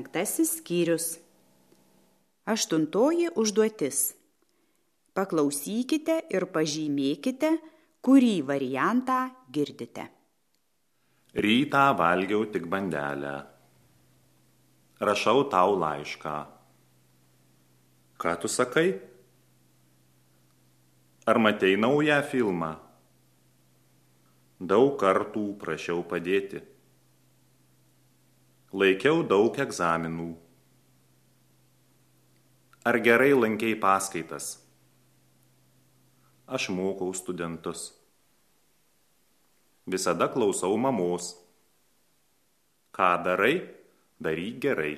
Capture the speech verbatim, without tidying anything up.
penktasis skyrius. Aštuntoji užduotis. Paklausykite ir pažymėkite, kurį variantą girdite. Rytą valgiau tik bandelę. Rašau tau laišką. Ką tu sakai? Ar matei naują filmą? Daug kartų prašiau padėti. Laikiau daug egzaminų. Ar gerai lankei paskaitas? Aš mokau studentus. Visada klausau mamos. Ką darai, daryk gerai.